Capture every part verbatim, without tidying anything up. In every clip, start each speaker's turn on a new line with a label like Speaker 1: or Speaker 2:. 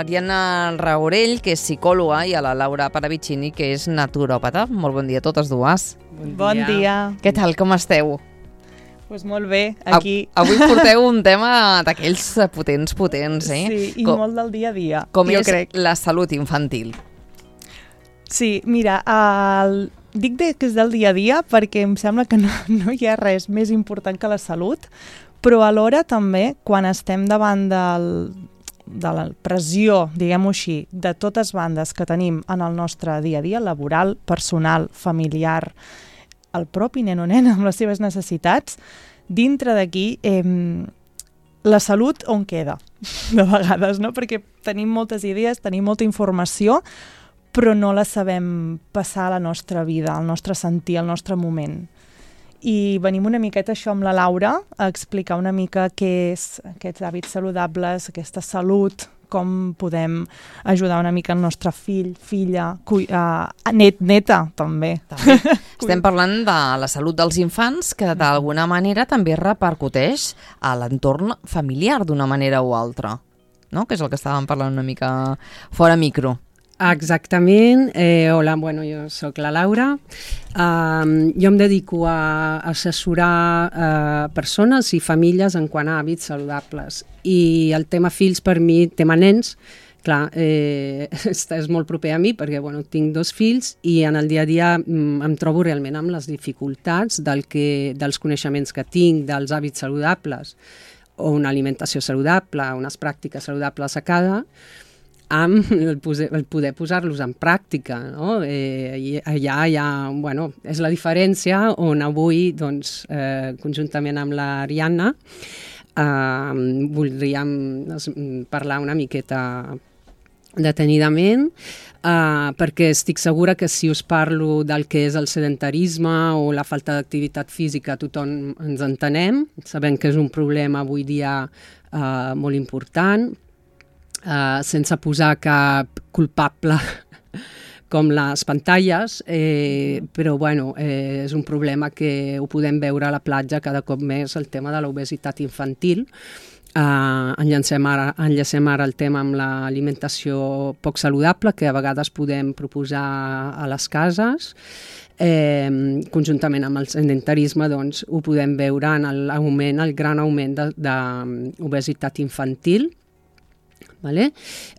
Speaker 1: Ariadna Raurell, que és psicòloga, i a la Laura Paravicini, que és naturòpata. Molt bon dia a totes dues.
Speaker 2: Bon dia. Bon dia.
Speaker 1: Què tal, com esteu?
Speaker 2: Pues molt bé, aquí.
Speaker 1: Avui porteu un tema d'aquells potents, potents, eh?
Speaker 2: Sí, i com, molt del dia a dia,
Speaker 1: com
Speaker 2: jo
Speaker 1: és
Speaker 2: crec.
Speaker 1: La salut infantil.
Speaker 2: Sí, mira, el... dic que és del dia a dia perquè em sembla que no, no hi ha res més important que la salut, però alhora també, quan estem davant del, de la pressió, diguem-ho així, de totes bandes que tenim en el nostre dia a dia, laboral, personal, familiar, el propi nen o nena amb les seves necessitats, dintre d'aquí eh, la salut on queda, de vegades, no? Perquè tenim moltes idees, tenim molta informació, però no la sabem passar a la nostra vida, al nostre sentir, al nostre moment. I venim una miqueta això amb la Laura, a explicar una mica què és aquests hàbits saludables, aquesta salut, com podem ajudar una mica el nostre fill, filla, cui, uh, net, neta, també.
Speaker 1: també. Estem parlant de la salut dels infants, que d'alguna manera també repercuteix a l'entorn familiar d'una manera o altra, no? Que és el que estàvem parlant una mica fora micro.
Speaker 3: Exactament. Eh, hola, bueno, jo sóc la Laura. Um, jo em dedico a assessorar uh, persones i famílies en quant a hàbits saludables. I el tema fills per mi, tema nens, clar, eh, és, és molt proper a mi perquè bueno, tinc dos fills i en el dia a dia mm, em trobo realment amb les dificultats del que, dels coneixements que tinc, dels hàbits saludables o una alimentació saludable, unes pràctiques saludables a cada, amb el, poder, el poder posar-los en pràctica, no? Eh, i allà hi ha, bueno, és la diferència on avui, doncs, eh, conjuntament amb l'Ariadna, eh, voldríem parlar una miqueta detenidament, eh, perquè estic segura que si us parlo del que és el sedentarisme o la falta d'activitat física, tothom ens entenem, sabem que és un problema avui dia eh, molt important, Uh, sense posar cap culpable com les pantalles, eh, però bueno, eh, és un problema que ho podem veure a la platja cada cop més, el tema de l'obesitat infantil. Uh, enllacem, ara, enllacem ara el tema amb l'alimentació poc saludable que a vegades podem proposar a les cases. Eh, conjuntament amb el sedentarisme doncs, ho podem veure en l'augment, el gran augment d'obesitat infantil. Vale?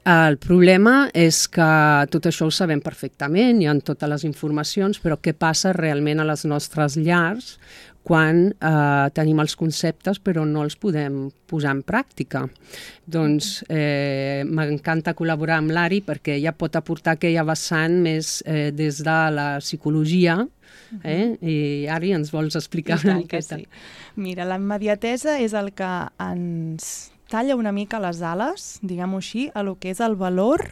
Speaker 3: El problema és que tot això ho sabem perfectament, hi ha totes les informacions, però què passa realment a les nostres llars quan eh, tenim els conceptes però no els podem posar en pràctica? Doncs eh, m'encanta col·laborar amb l'Ari perquè ella pot aportar aquella vessant més eh, des de la psicologia. Eh? I Ari, ens vols explicar una miqueta?
Speaker 2: Sí. Mira, la immediatesa és el que ens talla una mica les ales, diguem-ho així, a lo que és el valor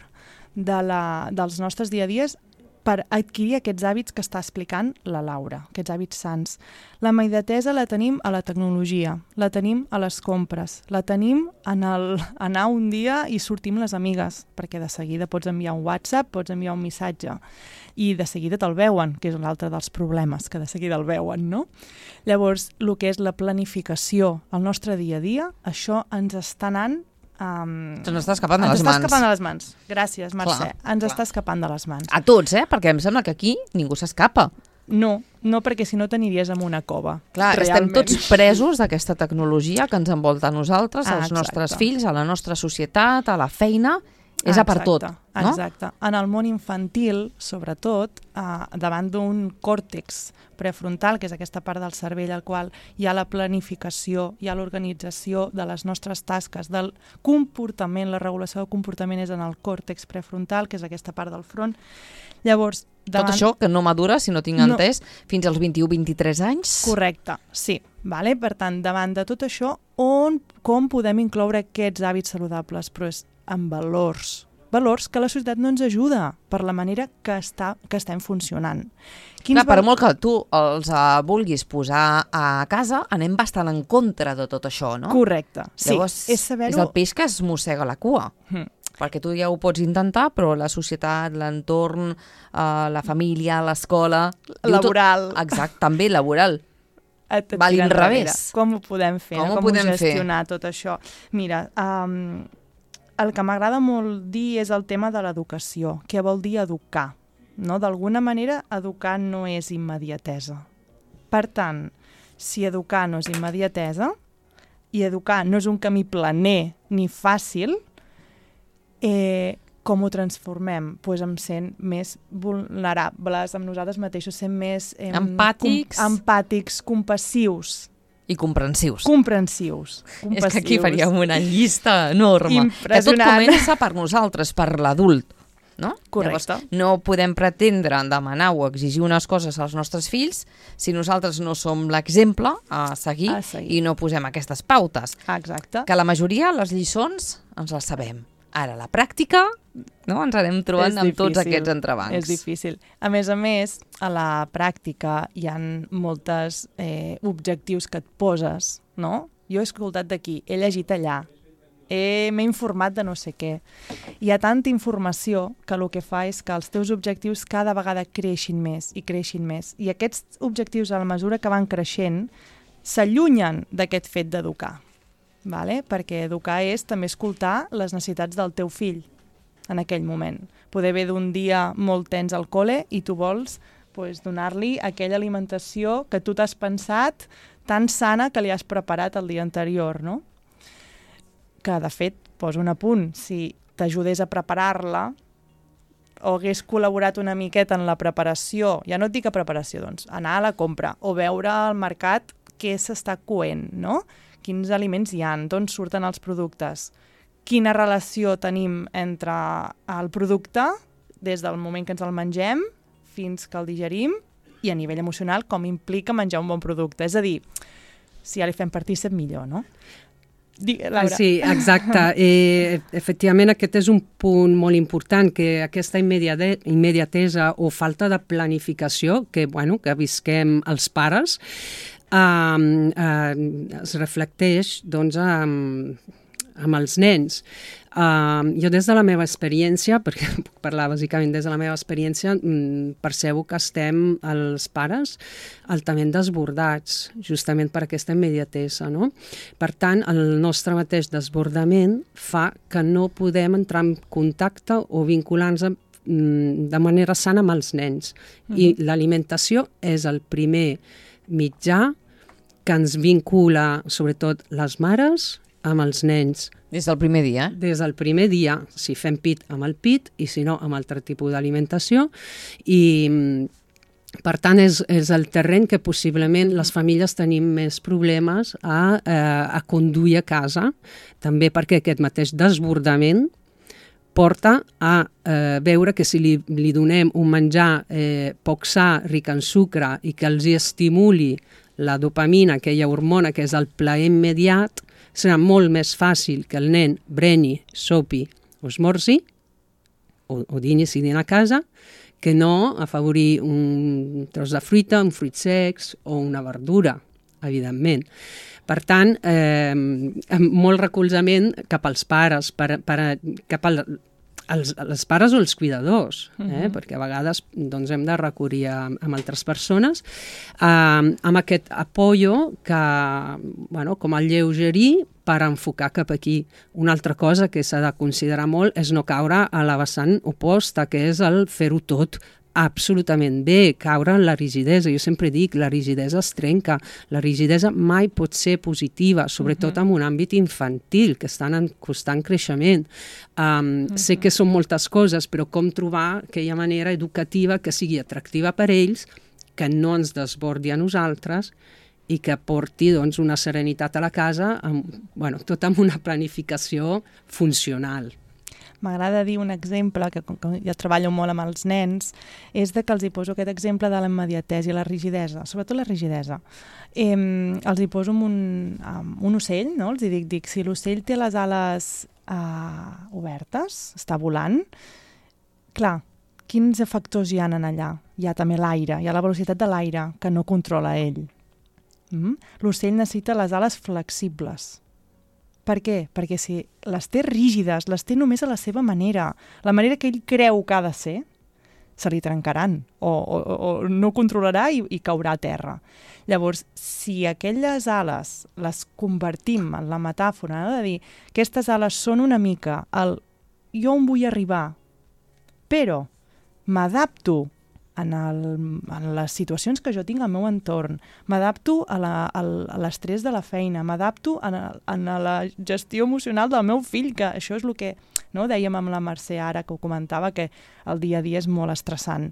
Speaker 2: de la, dels nostres dia a dies per adquirir aquests hàbits que està explicant la Laura, aquests hàbits sants. La immediatesa la tenim a la tecnologia, la tenim a les compres, la tenim en el anar un dia i sortir amb les amigues, perquè de seguida pots enviar un WhatsApp, pots enviar un missatge, i de seguida te'l veuen, que és un altre dels problemes, que de seguida el veuen, no? Llavors, el que és la planificació al nostre dia a dia, això ens està anant Um,
Speaker 1: ens està escapant de les mans.
Speaker 2: Ens està escapant de les mans. Gràcies, Mercè.
Speaker 1: Clar,
Speaker 2: ens
Speaker 1: clar.
Speaker 2: està escapant de les mans.
Speaker 1: A tots, eh? Perquè em sembla que aquí ningú s'escapa.
Speaker 2: No, no perquè si no t'aniries en una cova.
Speaker 1: Clar,
Speaker 2: realment.
Speaker 1: Estem tots presos d'aquesta tecnologia que ens envolta a nosaltres,
Speaker 2: ah,
Speaker 1: als
Speaker 2: exacte.
Speaker 1: nostres fills, a la nostra societat, a la feina. És
Speaker 2: ah,
Speaker 1: a per tot, no?
Speaker 2: Exacte. En el món infantil, sobretot, eh, davant d'un còrtex prefrontal, que és aquesta part del cervell al qual hi ha la planificació, hi ha l'organització de les nostres tasques, del comportament, la regulació del comportament és en el còrtex prefrontal, que és aquesta part del front. Llavors, davant...
Speaker 1: Tot això que no madura, si no tinc
Speaker 2: no.
Speaker 1: entès, fins als vint-i-u vint-i-tres anys?
Speaker 2: Correcte, sí. Vale? Per tant, davant de tot això, on, com podem incloure aquests hàbits saludables? Però és amb valors, valors que la societat no ens ajuda per la manera que, està, que estem funcionant. Quins
Speaker 1: Clar, per
Speaker 2: val...
Speaker 1: molt que tu els uh, vulguis posar a casa, anem bastant en contra de tot això, no?
Speaker 2: Correcte, sí.
Speaker 1: Llavors,
Speaker 2: és, saber-ho...
Speaker 1: és el peix que es mossega la cua. Hmm. Perquè tu ja ho pots intentar, però la societat, l'entorn, uh, la família, l'escola...
Speaker 2: Laboral.
Speaker 1: Tot... Exacte, també laboral. Va a l'inrevés.
Speaker 2: Com ho podem fer?
Speaker 1: Com
Speaker 2: no?
Speaker 1: ho
Speaker 2: Com
Speaker 1: podem
Speaker 2: gestionar
Speaker 1: fer?
Speaker 2: Tot això? Mira, um, el que m'agrada molt dir és el tema de l'educació. Què vol dir educar? No? D'alguna manera, educar no és immediatesa. Per tant, si educar no és immediatesa i educar no és un camí planer ni fàcil, eh, com ho transformem? Pues em sent més vulnerables amb nosaltres mateixos, sent més eh,
Speaker 1: empàtics.
Speaker 2: Com, empàtics, compassius.
Speaker 1: I comprensius.
Speaker 2: Comprensius. comprensius.
Speaker 1: És que aquí faríem una llista enorme. Que tot comença per nosaltres, per l'adult. No?
Speaker 2: Correcte.
Speaker 1: Llavors, no podem pretendre demanar o exigir unes coses als nostres fills si nosaltres no som l'exemple a seguir,
Speaker 2: a seguir
Speaker 1: i no posem aquestes pautes.
Speaker 2: Exacte.
Speaker 1: Que la majoria, les lliçons, ens les sabem. Ara, la pràctica, no? Ens anem trobant amb tots aquests entrebancs.
Speaker 2: És difícil. A més a més, a la pràctica hi ha molts eh, objectius que et poses, no? Jo he escoltat d'aquí, he llegit allà, m'he informat de no sé què. Hi ha tanta informació que el que fa és que els teus objectius cada vegada creixin més i creixin més. I aquests objectius, a la mesura que van creixent, s'allunyen d'aquest fet d'educar. Vale? Perquè educar és també escoltar les necessitats del teu fill en aquell moment. Poder ve d'un dia molt tens al col·le i tu vols pues, donar-li aquella alimentació que tu t'has pensat tan sana que li has preparat el dia anterior, no? Que, de fet, poso un apunt, si t'ajudés a preparar-la o hagués col·laborat una miqueta en la preparació, ja no et dic a preparació, doncs, anar a la compra o veure al mercat què s'està coent, no? Quins aliments hi ha, d'on surten els productes, quina relació tenim entre el producte des del moment que ens el mengem fins que el digerim i a nivell emocional com implica menjar un bon producte. És a dir, si ja li fem partícip millor, no? Laura.
Speaker 3: Sí, exacte. Eh, efectivament, aquest és un punt molt important, que aquesta immediatesa o falta de planificació que, bueno, que visquem els pares Uh, uh, es reflecteix doncs, um, amb els nens. Uh, jo des de la meva experiència, perquè puc parlar bàsicament des de la meva experiència, um, percebo que estem els pares altament desbordats, justament per aquesta immediatesa, no? Per tant, el nostre mateix desbordament fa que no podem entrar en contacte o vincular-nos de manera sana amb els nens. Uh-huh. I l'alimentació és el primer mitjà que ens vincula, sobretot les mares, amb els nens.
Speaker 1: Des del primer dia? Eh?
Speaker 3: Des del primer dia, si fem pit amb el pit i si no amb altre tipus d'alimentació. I per tant és, és el terreny que possiblement les famílies tenim més problemes a, eh, a conduir a casa, també perquè aquest mateix desbordament porta a eh, veure que si li, li donem un menjar eh, poc sa, ric en sucre i que els hi estimuli la dopamina, aquella hormona que és el plaer immediat, serà molt més fàcil que el nen breni, sopi o esmorzi o, o dini si dina a casa que no afavorir un tros de fruita, un fruit secs o una verdura, evidentment. Per tant, eh, molt recolzament cap als pares, per, per, cap al, als, als pares o els cuidadors, eh? Uh-huh. Perquè a vegades doncs, hem de recurrir a, a altres persones, eh, amb aquest apoyo que, bueno, com el lleugerir per enfocar cap aquí. Una altra cosa que s'ha de considerar molt és no caure a la vessant oposta, que és el fer-ho tot absolutament bé, caure en la rigidesa. Jo sempre dic, la rigidesa es trenca. La rigidesa mai pot ser positiva, sobretot uh-huh. en un àmbit infantil, que estan en constant creixement. Um, uh-huh. Sé que són moltes coses, però com trobar aquella manera educativa que sigui atractiva per ells, que no ens desbordi a nosaltres i que porti doncs, una serenitat a la casa, amb, bueno, tot amb una planificació funcional.
Speaker 2: M'agrada dir un exemple, que com que jo treballo molt amb els nens, és de que els hi poso aquest exemple de la immediatesa i la rigidesa, sobretot la rigidesa. Eh, els hi poso amb un, amb un ocell, no? Els hi dic, dic, si l'ocell té les ales eh, obertes, està volant, clar, quins factors hi ha en allà? Hi ha també l'aire, hi ha la velocitat de l'aire, que no controla ell. Mm? L'ocell necessita les ales flexibles. Per què? Perquè si les té rígides, les té només a la seva manera, la manera que ell creu que ha de ser, se li trencaran o, o, o no controlarà i, i caurà a terra. Llavors, si aquelles ales les convertim en la metàfora, no? De dir, aquestes ales són una mica el jo on vull arribar, però m'adapto en, el, en les situacions que jo tinc al meu entorn, m'adapto a l'estrès de la feina, m'adapto a, a la gestió emocional del meu fill, que això és el que no, dèiem amb la Mercè ara, que ho comentava, que el dia a dia és molt estressant.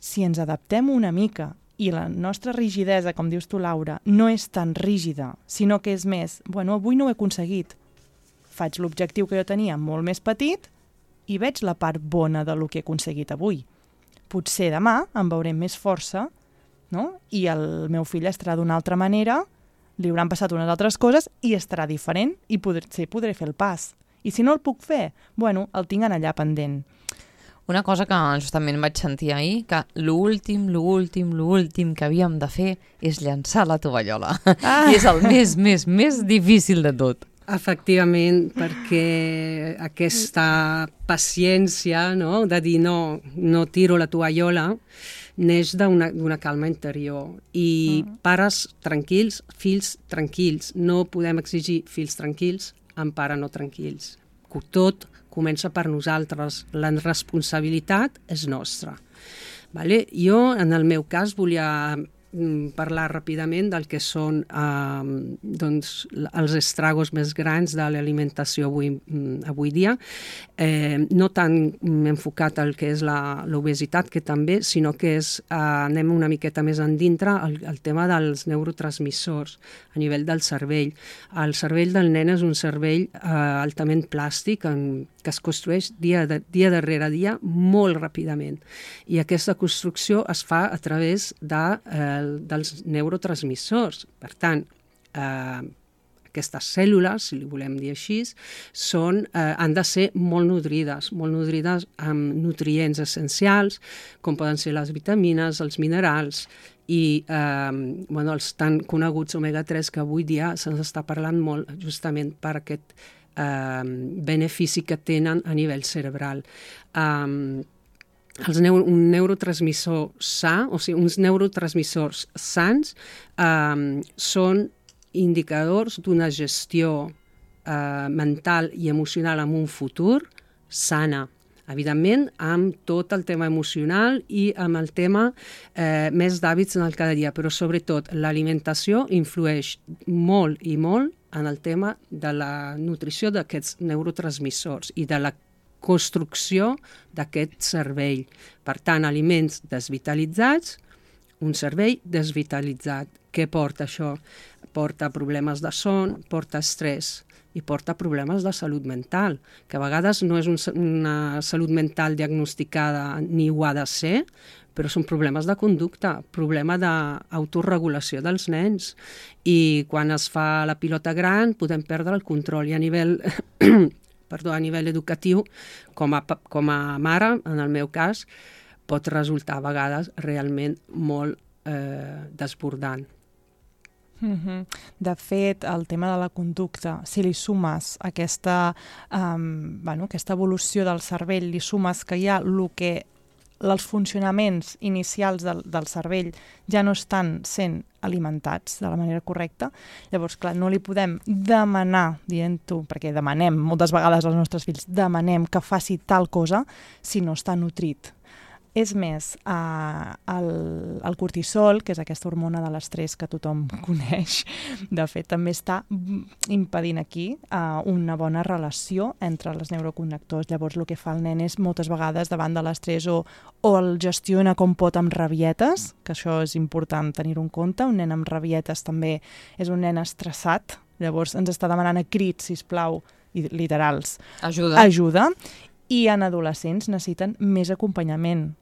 Speaker 2: Si ens adaptem una mica i la nostra rigidesa, com dius tu, Laura, no és tan rígida, sinó que és més, bueno, avui no ho he aconseguit, faig l'objectiu que jo tenia molt més petit i veig la part bona del que he aconseguit avui. Potser demà em veurem més força, no? I el meu fill estarà d'una altra manera, li hauran passat unes altres coses i estarà diferent i potser podré fer el pas. I si no el puc fer, bueno, el tinc allà pendent.
Speaker 1: Una cosa que justament vaig sentir ahir, que l'últim, l'últim, l'últim que havíem de fer és llançar la tovallola. Ah. I és el més, més, més difícil de tot.
Speaker 3: Efectivament, perquè aquesta paciència, no?, de dir no, no tiro la tovallola, neix d'una calma interior. I mm. pares tranquils, fills tranquils. No podem exigir fills tranquils amb pares no tranquils. Tot comença per nosaltres. La responsabilitat és nostra. Vale? Jo, en el meu cas, volia parlar ràpidament del que són eh, doncs, els estragos més grans de l'alimentació avui, avui dia. Eh, no tant enfocat al que és l'obesitat, que també, sinó que és, eh, anem una miqueta més endintre al, al tema dels neurotransmissors a nivell del cervell. El cervell del nen és un cervell eh, altament plàstic, en, que es construeix dia, de, dia darrere dia molt ràpidament. I aquesta construcció es fa a través de, eh, dels neurotransmissors. Per tant, eh, aquestes cèl·lules, si li volem dir així, són, eh, han de ser molt nodrides, molt nodrides amb nutrients essencials, com poden ser les vitamines, els minerals i eh, bueno, els tan coneguts omega tres, que avui dia se'ns està parlant molt justament per aquest eh, benefici que tenen a nivell cerebral. Eh, Els neuro, un neurotransmissor sa, o sigui, uns neurotransmissors sants eh, són indicadors d'una gestió eh, mental i emocional en un futur sana. Evidentment, amb tot el tema emocional i amb el tema eh, més d'hàbits en el cada dia, però sobretot l'alimentació influeix molt i molt en el tema de la nutrició d'aquests neurotransmissors i de la construcció d'aquest cervell. Per tant, aliments desvitalitzats, un cervell desvitalitzat. Què porta això? Porta problemes de son, porta estrès i porta problemes de salut mental, que a vegades no és un, una salut mental diagnosticada ni ho ha de ser, però són problemes de conducta, problema d'autoregulació dels nens. I quan es fa la pilota gran podem perdre el control i a nivell... perdó, a nivell educatiu, com a, com a mare, en el meu cas, pot resultar a vegades realment molt eh, desbordant.
Speaker 2: Mm-hmm. De fet, el tema de la conducta, si li sumes aquesta, um, bueno, aquesta evolució del cervell, li sumes que hi ha el que els funcionaments inicials del, del cervell ja no estan sent alimentats de la manera correcta, llavors, clar, no li podem demanar, dient-ho, perquè demanem moltes vegades als nostres fills, demanem que faci tal cosa si no està nutrit. És més, eh, el, el cortisol, que és aquesta hormona de l'estrès que tothom coneix, de fet també està impedint aquí eh, una bona relació entre els neuroconnectors. Llavors el que fa el nen és moltes vegades davant de l'estrès o, o el gestiona com pot amb rabietes, que això és important tenir-ho en compte. Un nen amb rabietes també és un nen estressat, llavors ens està demanant a crits, sisplau, i literals,
Speaker 1: ajuda.
Speaker 2: ajuda. I en adolescents necessiten més acompanyament,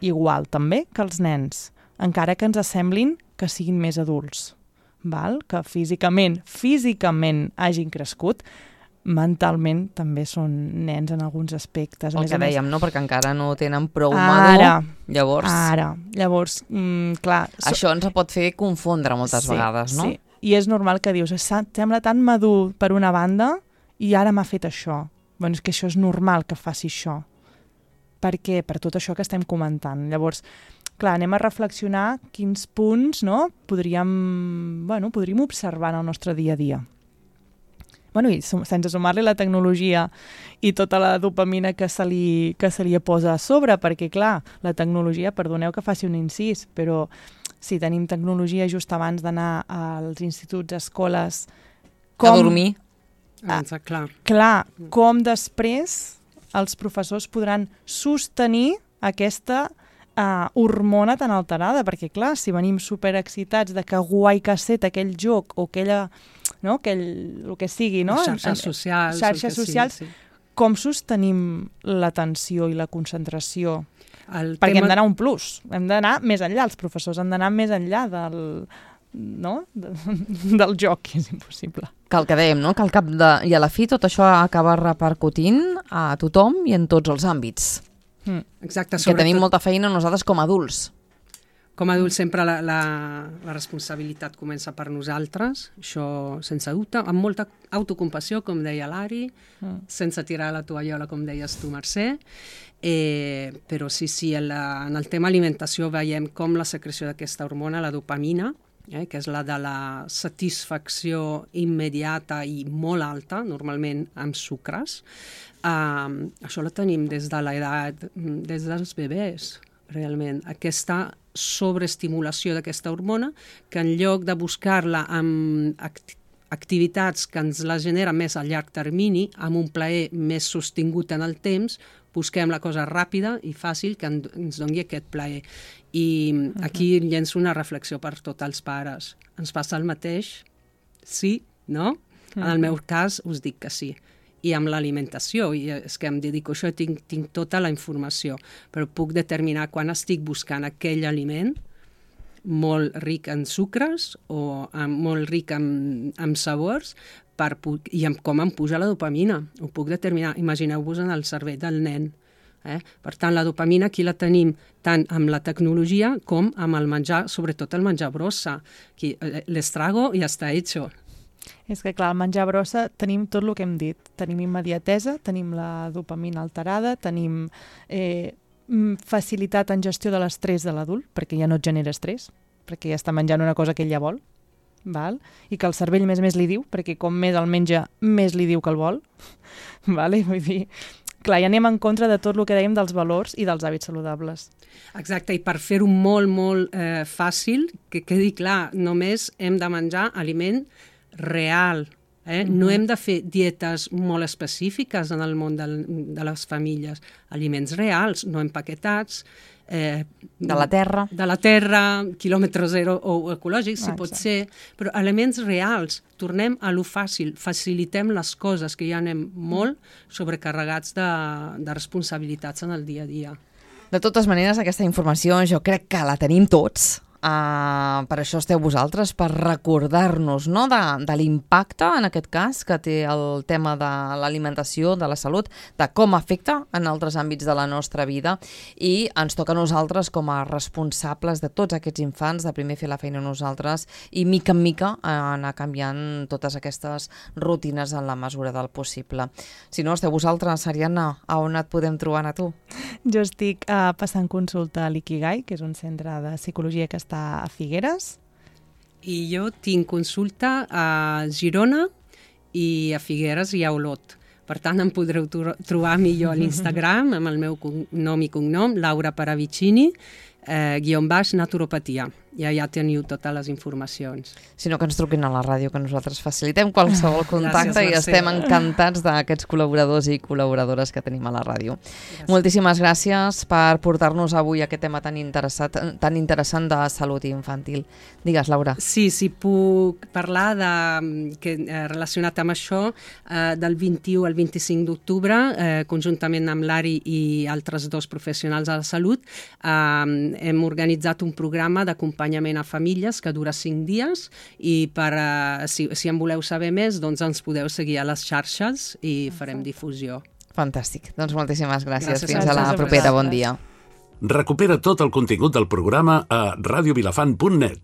Speaker 2: igual també que els nens, encara que ens semblin que siguin més adults, val? Que físicament, físicament hagin crescut, mentalment també són nens en alguns aspectes.
Speaker 1: El
Speaker 2: més
Speaker 1: que
Speaker 2: a
Speaker 1: dèiem,
Speaker 2: més,
Speaker 1: no? Perquè encara no tenen prou
Speaker 2: ara,
Speaker 1: madur, llavors...
Speaker 2: Ara, llavors, mm, clar... So...
Speaker 1: Això ens pot fer confondre moltes
Speaker 2: sí,
Speaker 1: vegades, no?
Speaker 2: Sí, i és normal que dius, sembla tan madur per una banda i ara m'ha fet això. Bueno, és que això és normal que faci això. perquè per tot això que estem comentant. Llavors, clar, anem a reflexionar quins punts, no, podríem, bueno, podríem observar en el nostre dia a dia. Bueno, i sense sumar-li la tecnologia i tota la dopamina que se li, que se li posa a sobre, perquè, clar, la tecnologia, perdoneu que faci un incís, però si tenim tecnologia just abans d'anar als instituts, escoles...
Speaker 1: Com, a dormir.
Speaker 3: Ah, clar.
Speaker 2: Clar, com després els professors podran sostenir aquesta uh, hormona tan alterada, perquè, clar, si venim superexcitats de que guai que ha set aquell joc o aquella... no? Aquell, el que sigui, no?
Speaker 3: Xarxes socials.
Speaker 2: Xarxes socials. Sí, sí. Com sostenim l'atenció i la concentració? El Perquè tema... hem d'anar un plus, hem d'anar més enllà, els professors han d'anar més enllà del, no? de, del joc, que és impossible.
Speaker 1: Que el que dèiem, no? Que al cap de, i a la fi tot això acaba repercutint a tothom i en tots els àmbits.
Speaker 2: Mm.
Speaker 3: Exacte.
Speaker 1: Que tenim molta feina nosaltres com a adults.
Speaker 3: Com a adults sempre la, la, la responsabilitat comença per nosaltres, això sense dubte, amb molta autocompassió, com deia l'Ari, mm. sense tirar la tovallola, com deies tu, Mercè, eh, però sí, sí, en, la, en el tema alimentació veiem com la secreció d'aquesta hormona, la dopamina, eh, que és la de la satisfacció immediata i molt alta, normalment amb sucres, eh, això la tenim des de l'edat, des dels bebès, realment, aquesta sobreestimulació d'aquesta hormona, que en lloc de buscar-la amb act activitats que ens la generen més a llarg termini, amb un plaer més sostingut en el temps, busquem la cosa ràpida i fàcil que ens doni aquest plaer. I uh-huh. aquí llenço una reflexió per tots els pares. Ens passa el mateix? Sí? No? Uh-huh. En el meu cas us dic que sí. I amb l'alimentació, i és que em dedico a això, tinc, tinc tota la informació, però puc determinar quan estic buscant aquell aliment molt ric en sucres o amb, molt ric en, en sabors per, i amb com em puja la dopamina. Ho puc determinar. Imagineu-vos en el cervell del nen. Eh? Per tant, la dopamina aquí la tenim tant amb la tecnologia com amb el menjar, sobretot el menjar brossa. Aquí, l'estrago ja està hecho.
Speaker 2: És que, clar, al menjar brossa tenim tot el que hem dit. Tenim immediatesa, tenim la dopamina alterada, tenim eh, facilitat en gestió de l'estrès de l'adult, perquè ja no et genera estrès, perquè ja està menjant una cosa que ell ja vol, val? I que el cervell més més li diu, perquè com més el menja, més li diu que el vol. Vale? Vull dir, clar, ja anem en contra de tot el que dèiem dels valors i dels hàbits saludables.
Speaker 3: Exacte, i per fer-ho molt, molt eh, fàcil, que quedi clar, només hem de menjar aliment real. Eh? Mm-hmm. No hem de fer dietes molt específiques en el món del, de les famílies. Aliments reals, no empaquetats. Eh,
Speaker 1: de la terra.
Speaker 3: De la terra, quilòmetre zero o ecològics, si ah, pot ser. Però aliments reals. Tornem a lo fàcil. Facilitem les coses, que ja anem molt sobrecarregats de, de responsabilitats en el dia a dia.
Speaker 1: De totes maneres, aquesta informació jo crec que la tenim tots. Uh, per això esteu vosaltres, per recordar-nos, no?, de, de l'impacte, en aquest cas, que té el tema de l'alimentació, de la salut, de com afecta en altres àmbits de la nostra vida, i ens toca a nosaltres, com a responsables de tots aquests infants, de primer fer la feina a nosaltres i, mica en mica, anar canviant totes aquestes rutines en la mesura del possible. Si no, esteu vosaltres, Ariadna, a on et podem trobar a tu?
Speaker 2: Jo estic uh, passant consulta a l'Ikigai, que és un centre de psicologia que està a Figueres.
Speaker 3: I jo tinc consulta a Girona i a Figueres i a Olot. Per tant, em podreu trobar millor a l'Instagram amb el meu nom i cognom, Laura Paravicini, eh, guion baix naturopatia. I allà teniu totes les informacions.
Speaker 1: Si no, que ens truquin a la ràdio, que nosaltres facilitem qualsevol contacte. Gràcies, i estem encantats d'aquests col·laboradors i col·laboradores que tenim a la ràdio. Gràcies. Moltíssimes gràcies per portar-nos avui aquest tema tan, interessat, tan interessant de salut infantil. Digues, Laura.
Speaker 3: Sí, sí, puc parlar de, que, eh, relacionat amb això, eh, del vint-i-u al vint-i-cinc d'octubre, eh, conjuntament amb l'Ari i altres dos professionals de la salut, eh, hem organitzat un programa d'acompanyament a famílies que dura cinc dies i per, uh, si, si en voleu saber més, doncs ens podeu seguir a les xarxes i farem difusió.
Speaker 1: Fantàstic. Doncs moltíssimes gràcies.
Speaker 3: gràcies
Speaker 1: Fins a la propera. Bon dia.
Speaker 4: Recupera tot el contingut del programa a radio vilafant punt net.